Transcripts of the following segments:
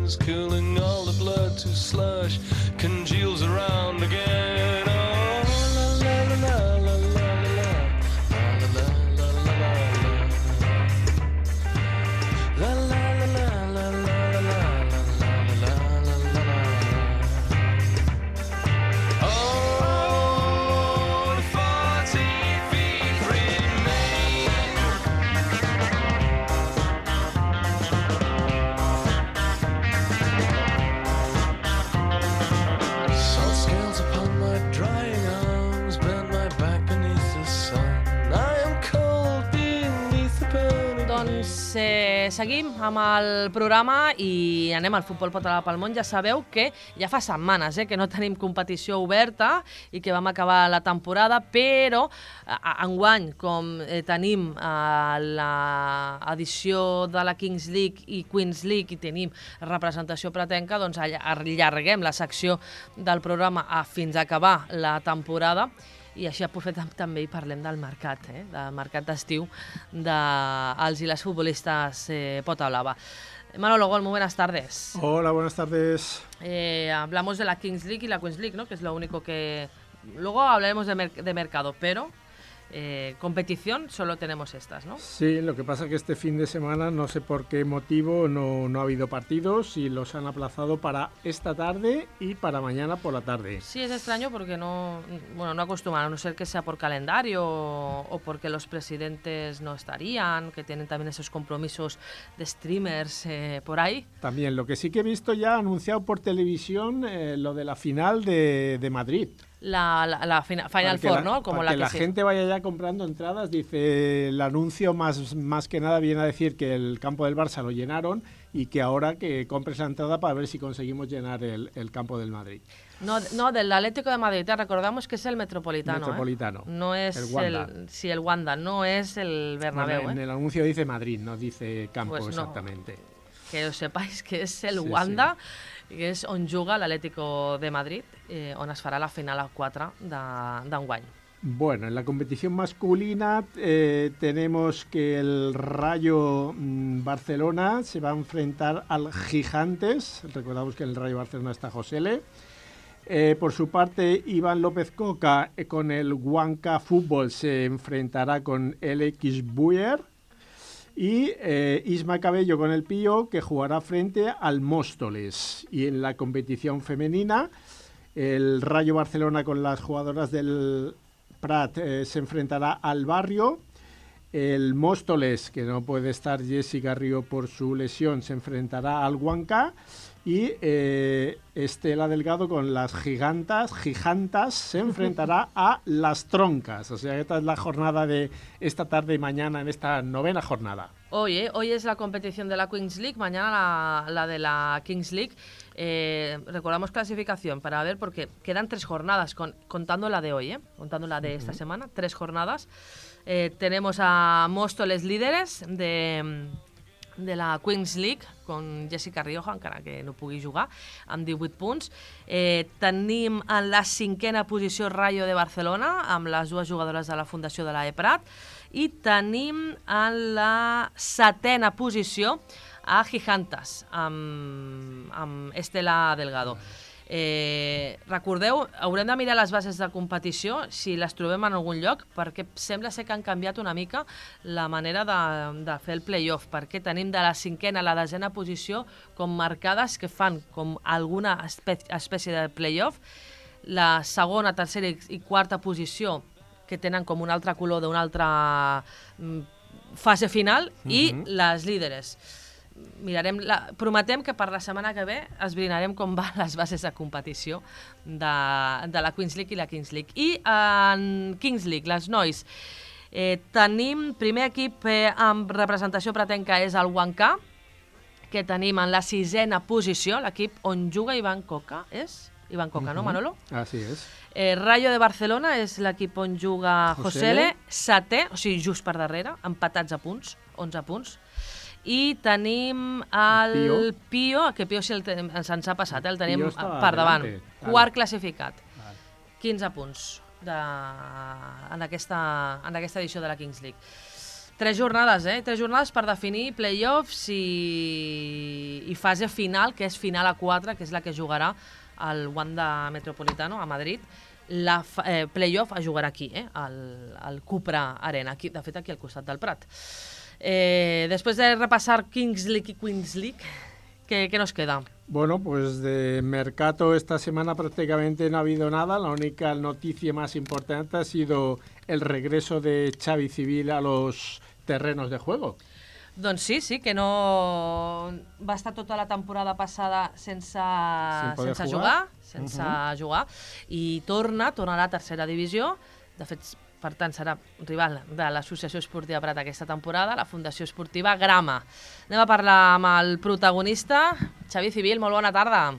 veins, cooling all the blood to slush, congeals around again. Oh, la la la la la la la la la la la la la. Seguim amb el programa i anem al Futbol Català pel Món. Ja sabeu que ja fa setmanes que no tenim competició oberta i que vam acabar la temporada, però enguany, com tenim l'edició de la Kings League i Queens League i tenim representació pretenca, doncs allarguem la secció del programa fins a acabar la temporada. I així aprofitem també i parlem del mercat, del mercat d'estiu dels i les futbolistes Pota Blava. Manolo Gol, muy buenas tardes. Hola, buenas tardes. Hablamos de la Kings League y la Queens League, ¿no? Que es lo único que... Luego hablaremos de mercado, pero... competición solo tenemos estas, ¿no? Sí, lo que pasa es que este fin de semana no sé por qué motivo no ha habido partidos y los han aplazado para esta tarde y para mañana por la tarde. Sí, es extraño porque no acostumbran, a no ser que sea por calendario o porque los presidentes no estarían, que tienen también esos compromisos de streamers por ahí. También, lo que sí que he visto ya anunciado por televisión, lo de la final de Madrid. La Final Four, ¿no? Como para que la gente vaya ya comprando entradas, dice el anuncio más que nada viene a decir que el campo del Barça lo llenaron y que ahora que compres la entrada para ver si conseguimos llenar el campo del Madrid. No, del Atlético de Madrid, te recordamos que es el Metropolitano. Metropolitano. No es el Wanda. El Wanda, no es el Bernabéu. Bueno, en el anuncio dice Madrid, no dice campo pues exactamente. No. Que os sepáis que és el Wanda, que és on juga l'Atlético de Madrid, on es farà la final a 4 d'enguany. Bueno, en la competición masculina tenemos que el Rayo Barcelona se va a enfrentar al Gigantes. Recordamos que en el Rayo Barcelona está Josele. Por su parte, Iván López Coca con el Huanca Fútbol se enfrentará con el X Buyer. Y Isma Cabello con el Pío, que jugará frente al Móstoles. Y en la competición femenina, el Rayo Barcelona con las jugadoras del Prat se enfrentará al Barrio. El Móstoles, que no puede estar Jessica Río por su lesión, se enfrentará al Huanca. Y Estela Delgado con las Gigantas se enfrentará a las Troncas. O sea, esta es la jornada de esta tarde y mañana en esta novena jornada. Hoy es la competición de la Queens League, mañana la de la Kings League. Recordamos clasificación para ver, porque quedan 3 jornadas, contando la de hoy, contando la de esta semana, 3 jornadas. Tenemos a Móstoles líderes de la Queens League, con Jessica Rioja, encara que no pugui jugar, amb 18 punts. Tenim en la 5a posició Rayo de Barcelona, amb les 2 jugadores de la Fundació de l'Eprat, i tenim en la 7a posició a Gigantes, amb Estela Delgado. Recordeu, haurem de mirar les bases de competició si les trobem en algun lloc, perquè sembla ser que han canviat una mica la manera de fer el play-off, perquè tenim de la 5a a la 10a posició com marcades que fan com alguna espècie de play-off, la segona, tercera i 4a posició que tenen com un altre color d'una altra fase final i les líderes. Prometem que per la setmana que ve esbrinarem com van les bases de competició de la Queens League i la Kings League. I en Kings League, les nois, tenim primer equip amb representació pretenca és el Huanca, que tenim en la 6a posició, l'equip on juga Iván Coca, és? Iván Coca, no, Manolo? Así es. Rayo de Barcelona és l'equip on juga Josele, 7è, o sigui, just per darrere, empatats a punts, 11 punts. I tenim el Pío, que Pío se'ns ha passat, el tenim per davant, quart classificat, 15 punts en aquesta edició de la Kings League. 3 jornades, 3 jornades per definir play-offs i fase final, que és final a 4, que és la que jugarà el Wanda Metropolitano a Madrid. La play-off es jugarà aquí, al Cupra Arena, aquí, de fet aquí al costat del Prat. Després de repassar Kings League y Queens League, ¿qué nos queda? Bueno, pues de mercado esta semana prácticamente no ha habido nada. La única noticia más importante ha sido el regreso de Xavi Civil a los terrenos de juego. Doncs sí, que no va estar tota la temporada passada sense jugar, i torna a la tercera divisió. De fet, per tant, serà rival de l'Associació Esportiva Prat aquesta temporada, la Fundació Esportiva Grama. Anem a parlar amb el protagonista, Xavi Civil, molt bona tarda.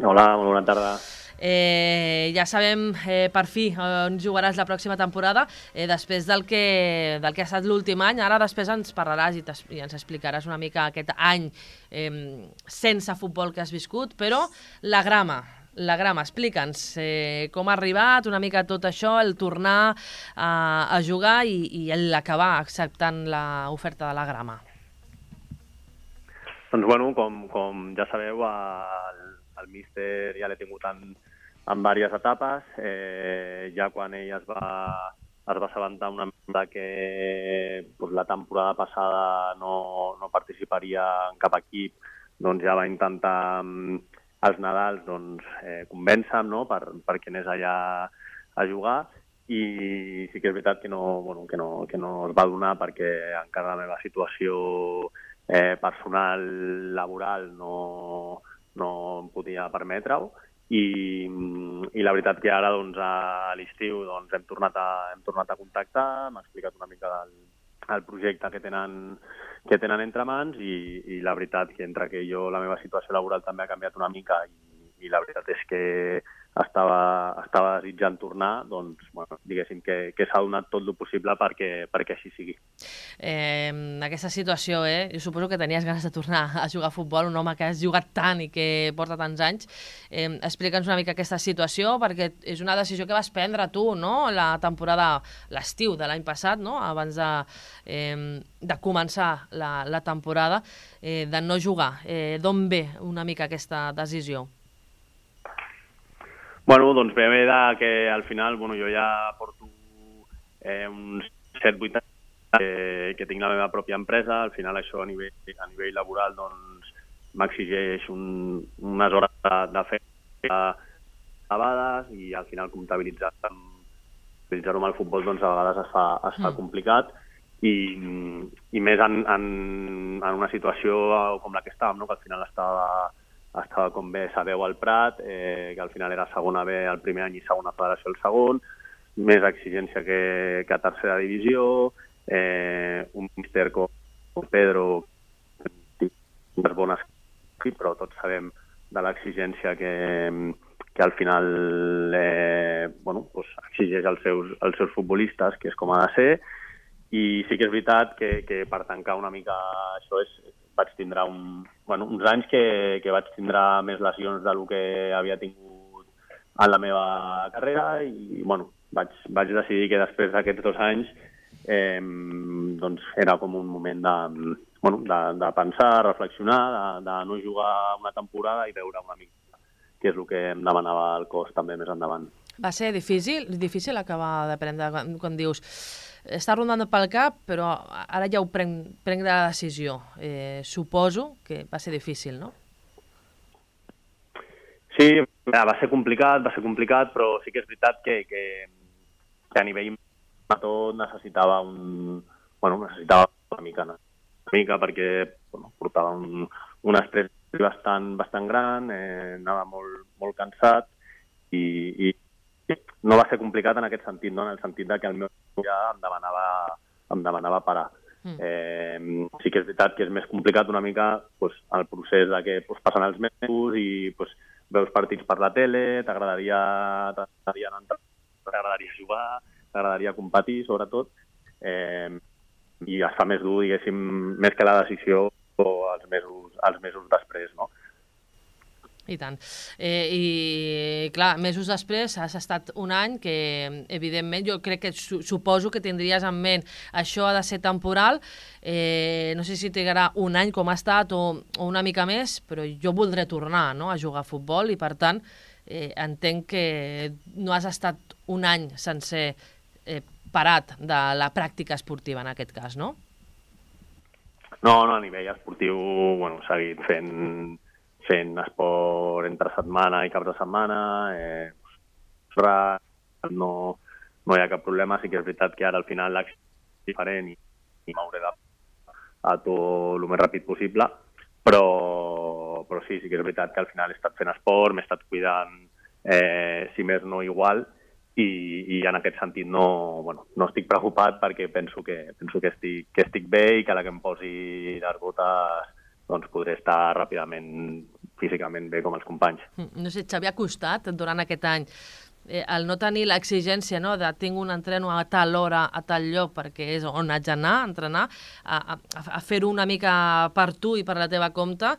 Hola, molt bona tarda. Ja sabem per fi on jugaràs la pròxima temporada, després del que ha estat l'últim any. Ara després ens parlaràs i ens explicaràs una mica aquest any sense futbol que has viscut, però la Grama, explica'ns com ha arribat una mica tot això, el tornar a jugar i l'acabar acceptant l'oferta de la Grama. Doncs bueno, com ja sabeu, el míster ja l'he tingut en diverses etapes. Ja quan ell es va assabentar una mica que la temporada passada no participaria en cap equip, doncs ja va intentar als Nadals convèncer-me, no?, perquè anés allà a jugar, i sí que és veritat que no es va donar perquè encara la meva situació personal, laboral, no em podia permetre-ho, i la veritat que ara a l'estiu hem tornat a contactar, m'ha explicat una mica el projecte que tenen entre mans, i la veritat que entre que la meva situació laboral també ha canviat una mica, i la veritat és que estava desitjant tornar, doncs, bueno, diguéssim que s'ha donat tot el possible perquè així sigui. Aquesta situació, jo suposo que tenies ganes de tornar a jugar a futbol, un home que has jugat tant i que porta tants anys. Explica'ns una mica aquesta situació, perquè és una decisió que vas prendre tu, no?, la temporada, l'estiu de l'any passat, no?, abans de començar la temporada, de no jugar. D'on ve una mica aquesta decisió? Bueno, doncs ve que al final, jo ja porto uns 7-8 anys que tinc la meva pròpia empresa. Al final això a nivell laboral m'exigeix unes hores de feina elevades, i al final comptabilitzar-ho amb el futbol a vegades es fa complicat, i més en una situació com la que estàvem, no?, que al final estava com bé sabeu al Prat, que al final era segona B el primer any i segona federació el segon, més exigència que a tercera divisió, un míster com Pedro, unes bones, però tots sabem de l'exigència que al final exigeix als seus futbolistes, que és com ha de ser, i sí que és veritat que per tancar una mica això vaig tindre uns anys que vaig tindre més lesions del que havia tingut en la meva carrera, i vaig decidir que després d'aquests 2 anys era com un moment de pensar, reflexionar, de no jugar una temporada i veure una mica què és el que em demanava el cos també més endavant. Va ser difícil acabar de prendre, quan dius està rondant pel cap, però ara ja ho prenc la decisió. Suposo que va ser difícil, no? Sí, va ser complicat, però sí que és veritat que a nivell de tot necessitava una mica perquè portava un estrès bastant gran, anava molt cansat, i no va ser complicat en aquest sentit, no?, en el sentit que el meu ja em demanava parar. Sí que és veritat que és més complicat una mica el procés de que passen els mesos i veus partits per la tele, t'agradaria jugar, t'agradaria competir, sobretot, i es fa més dur, diguéssim, més que la decisió els mesos després, no? I tant. I, clar, mesos després has estat un any que, evidentment, jo crec que suposo que tindries en ment això ha de ser temporal, no sé si trigarà un any com ha estat o una mica més, però jo voldré tornar, no?, a jugar a futbol i, per tant, entenc que no has estat un any sencer parat de la pràctica esportiva, en aquest cas, no? No, a nivell esportiu, bueno, he seguit fent esport entre setmana i caps de setmana, no hi ha cap problema. Sí que és veritat que ara al final l'acció és diferent i m'hauré d'adaptar a tot el més ràpid possible, però sí que és veritat que al final he estat fent esport, m'he estat cuidant, si més no igual, i en aquest sentit no estic preocupat perquè penso que estic bé i que a la que em posi les botes doncs podré estar ràpidament físicament bé com els companys. No sé, Xavi, ha costat durant aquest any el no tenir l'exigència, no?, de tinc un entreno a tal hora, a tal lloc, perquè és on haig d'anar a entrenar, a fer-ho una mica per tu i per la teva compte,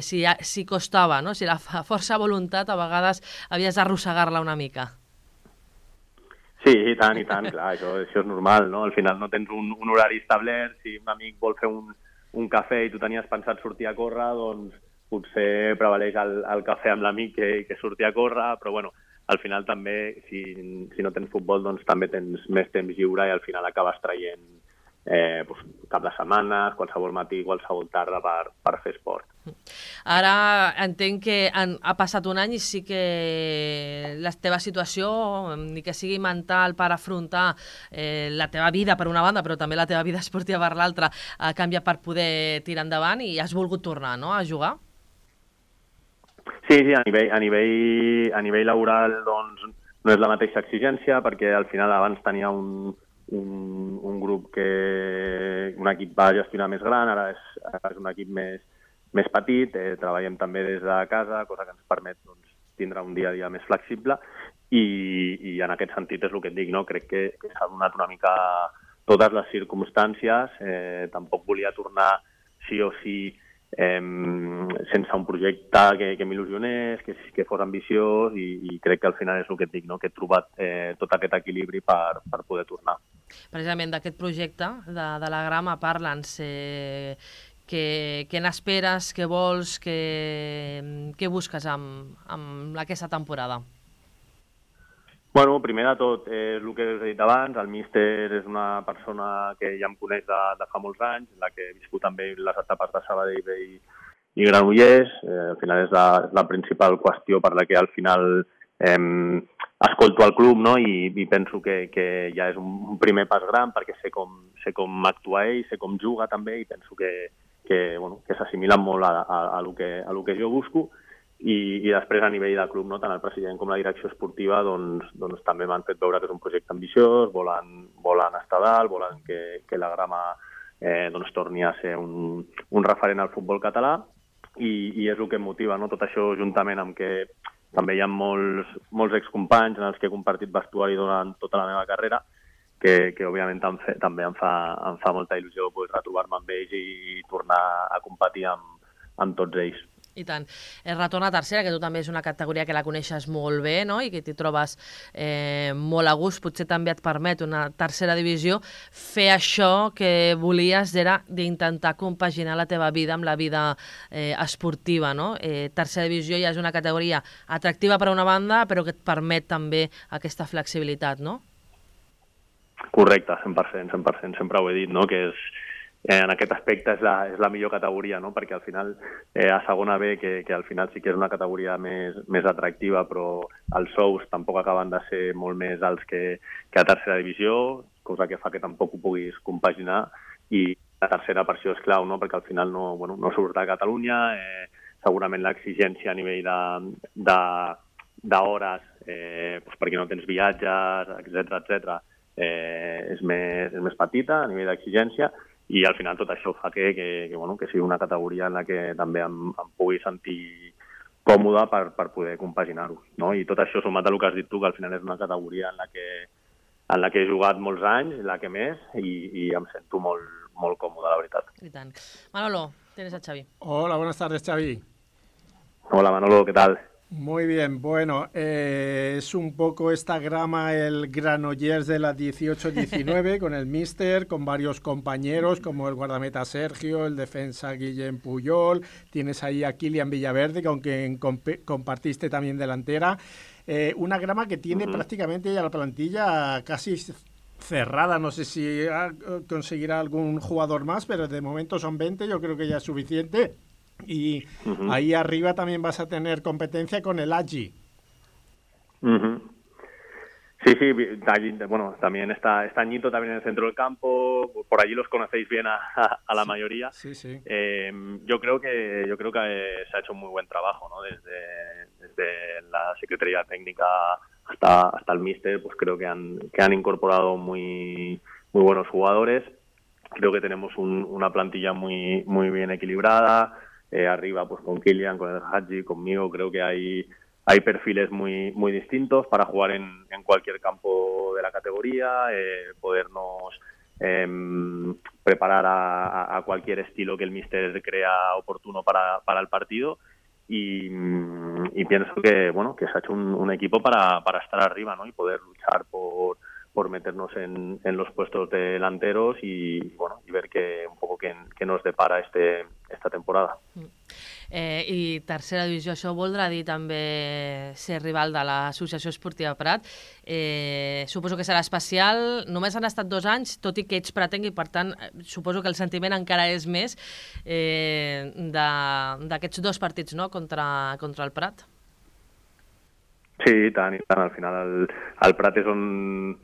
si costava, no?, si la força de voluntat a vegades havies d'arrossegar-la una mica. Sí, i tant, clar, això és normal, no? Al final no tens un horari establert, si un amic vol fer un cafè i tu tenies pensat sortir a córrer, doncs potser prevaleix el cafè amb l'amic que sortir a córrer, però bueno, al final també, si no tens futbol, doncs també tens més temps lliure i al final acabes traient cap de setmanes, qualsevol matí, qualsevol tarda per fer esport. Ara entenc que ha passat un any i sí que la teva situació, ni que sigui mental per afrontar la teva vida per una banda, però també la teva vida esportiva per l'altra, ha canviat per poder tirar endavant i has volgut tornar, no?, a jugar? Sí, a nivell laboral doncs, no és la mateixa exigència, perquè al final abans tenia un grup un equip va gestionar més gran, ara és un equip més petit, treballem també des de casa, cosa que ens permet doncs, tindre un dia a dia més flexible i en aquest sentit és el que et dic, no? Crec que s'ha donat una mica totes les circumstàncies, tampoc volia tornar sí o sí sense un projecte que m'il·lusionés, que fos ambiciós i crec que al final és el que et dic, no? Que he trobat tot aquest equilibri per poder tornar. Precisament d'aquest projecte de la Grama parla'ns, què n'esperes, què vols, què busques amb aquesta temporada? Bueno, primer de tot, és el que us he dit abans, el míster és una persona que ja em coneix de fa molts anys, en la que he viscut també les etapes de Sabadell i Granollers. Al final és la principal qüestió per la que al final escolto el club, no? I penso que ja és un primer pas gran perquè sé com actua ell, sé com juga també i penso que s'assimilen molt a lo que jo busco. I després a nivell de club, no? Tant el president com la direcció esportiva doncs també m'han fet veure que és un projecte ambiciós, volen estar dalt, volen que la Grama doncs torni a ser un referent al futbol català i és el que em motiva, no? Tot això juntament amb que també hi ha molts excompanys en els que he compartit vestuari durant tota la meva carrera que òbviament també em fa molta il·lusió poder retrobar-me amb ells i tornar a competir amb tots ells. I tant. El retorn a tercera, que tu també és una categoria que la coneixes molt bé, no?, i que t'hi trobes molt a gust, potser també et permet una tercera divisió. Fer això que volies era d'intentar compaginar la teva vida amb la vida esportiva, no? Tercera divisió ja és una categoria atractiva per una banda, però que et permet també aquesta flexibilitat, no? Correcte, 100%, sempre ho he dit, no?, que en aquest aspecte és la millor categoria, no? Perquè al final a segona B, que al final sí que és una categoria més atractiva, però els sous tampoc acaben de ser molt més alts que a tercera divisió, cosa que fa que tampoc ho puguis compaginar, i la tercera per això és clau, no? Perquè al final no surt a Catalunya, segurament l'exigència a nivell d'hores, perquè no tens viatges, etc., és més petita a nivell d'exigència, i al final tot això fa que sigui una categoria en la que també em pugui sentir còmode per poder compaginar-ho, no? I tot això sumat a el que has dit tu, que al final és una categoria en la que he jugat molts anys, la que més, i em sento molt còmode, la veritat. I tant. Manolo, tienes a Xavi. Hola, buenas tardes, Xavi. Hola Manolo, ¿qué tal? Muy bien, bueno, es un poco esta grama el Granollers de la 18-19 con el míster, con varios compañeros como el guardameta Sergio, el defensa Guillem Puyol, tienes ahí a Kilian Villaverde, con quien compartiste también delantera. Una grama que tiene prácticamente ya la plantilla casi cerrada, no sé si conseguirá algún jugador más, pero de momento son 20, yo creo que ya es suficiente. Y ahí arriba también vas a tener competencia con el Agi. Sí, bueno, también está Añito también en el centro del campo, por allí los conocéis bien a la mayoría. Sí. Yo creo que se ha hecho un muy buen trabajo, ¿no? Desde la Secretaría Técnica hasta el míster, pues creo que han incorporado muy buenos jugadores. Creo que tenemos una plantilla muy bien equilibrada. Arriba, pues con Kilian, con el Hadji, conmigo, creo que hay perfiles muy distintos para jugar en cualquier campo de la categoría, podernos preparar a cualquier estilo que el míster crea oportuno para el partido. Y pienso que se ha hecho un equipo para estar arriba, ¿no? Y poder luchar por meternos en los puestos de delanteros y ver un poco qué nos depara esta temporada. I tercera divisió, això voldrà dir també ser rival de l'Associació Esportiva Prat. Suposo que serà especial. Només han estat 2 anys, tot i que ets pratenc, i per tant suposo que el sentiment encara és més d'aquests 2 partits, no?, contra el Prat. Sí, i tant. Al final el Prat és on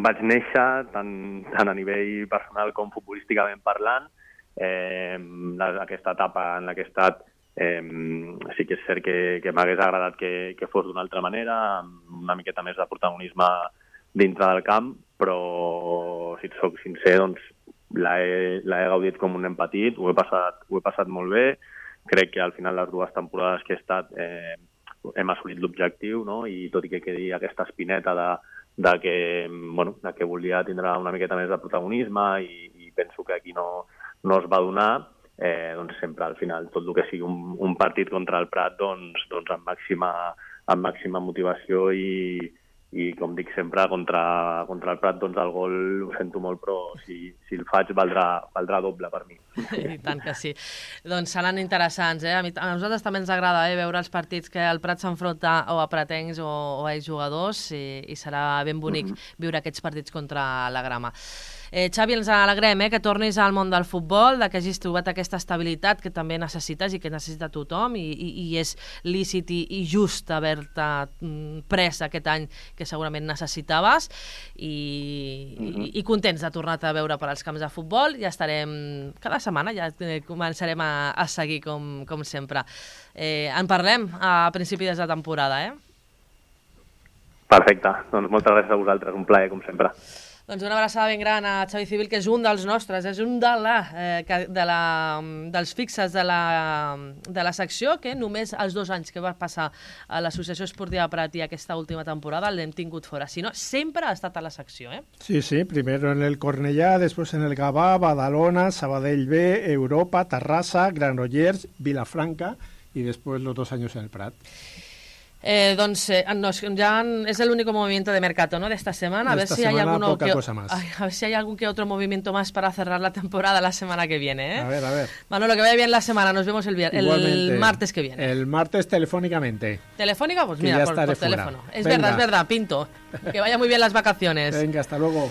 vaig néixer, tant a nivell personal com futbolísticament parlant. Aquesta etapa en la que he estat sí que és cert que m'hagués agradat que fos d'una altra manera, amb una miqueta més de protagonisme dintre del camp, però si et soc sincer, doncs l'he gaudit com un nen petit, ho he passat molt bé. Crec que al final les 2 temporades que he estat hem assolit l'objectiu, no? I tot i que quedi aquesta espineta de que volia tindre una miqueta més de protagonisme i penso que aquí no es va donar, doncs sempre al final tot el que sigui un partit contra el Prat doncs amb màxima motivació i com dic sempre contra el Prat doncs el gol ho sento molt, però si el faig valdrà doble per mi. I tant que sí. Doncs seran interessants, A nosaltres també ens agrada veure els partits que el Prat s'enfronta o a pratencs o a jugadors i serà ben bonic viure aquests partits contra la grama. Xavi, ens alegrem que tornis al món del futbol, que hagis trobat aquesta estabilitat que també necessites i que necessita tothom i és lícit i just haver-te pres aquest any que segurament necessitaves i contents de tornar-te a veure per als camps de futbol. Ja estarem cada setmana, ja començarem a seguir com sempre. En parlem a principis de temporada, Perfecte, doncs moltes gràcies a vosaltres, un plaer com sempre. Doncs una abraçada ben gran a Xavi Civil, que és un dels nostres, és un dels fixes de la secció, que només els 2 anys que va passar a l'Associació Esportiva Prat i aquesta última temporada l'hem tingut fora. Si no, sempre ha estat a la secció, Sí, primero en el Cornellà, después en el Gavà, Badalona, Sabadell B, Europa, Terrassa, Granollers, Vilafranca y después los 2 años en el Prat. Doncs ya es el único movimiento de mercado, ¿no?, de esta semana. A ver si hay algún que otro movimiento más para cerrar la temporada la semana que viene, A ver. Manolo, que vaya bien la semana. Nos vemos el martes que viene. El martes telefónicamente. ¿Telefónica? Pues mira, por teléfono. Es verdad, Pinto. Que vaya muy bien las vacaciones. Venga, hasta luego.